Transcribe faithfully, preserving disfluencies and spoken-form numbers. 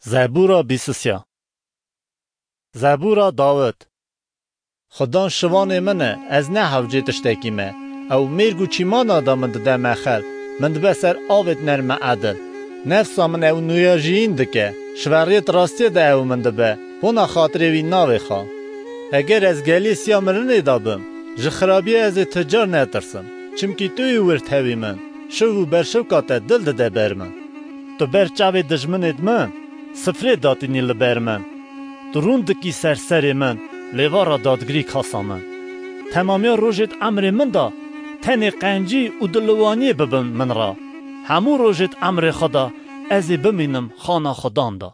Zebûra bîsisya. Zebûra Dawid. Xudan şivanê min e, ez ne hewcê tiştekî me. Ew mêrg û çîmana de min dide mexel, min dibe ser avêt nerme edil. Nefsa min ew nûyajiyîn dike, şiveriyêt rastiyê de ew min dibe, bona xatirê wî navêxa. Eger ez gelî siya mirinê de bim, ji xirabiyê ez ê ti car netirsim, çimkî tu yî wir tevî min, şiv û berşewka te dil dide ber min. Tu ber çavê dijminêt min, sifrê datînî li ber min. Tu rûn dikî ser serê min, lêvara dadgirî kasa min. Temamiya rojêt emrê min de, tenê qencî û diliwaniyê bibin min re. Hemû rojêt emrê xwe de, ez ê bimînim xana Xudan de.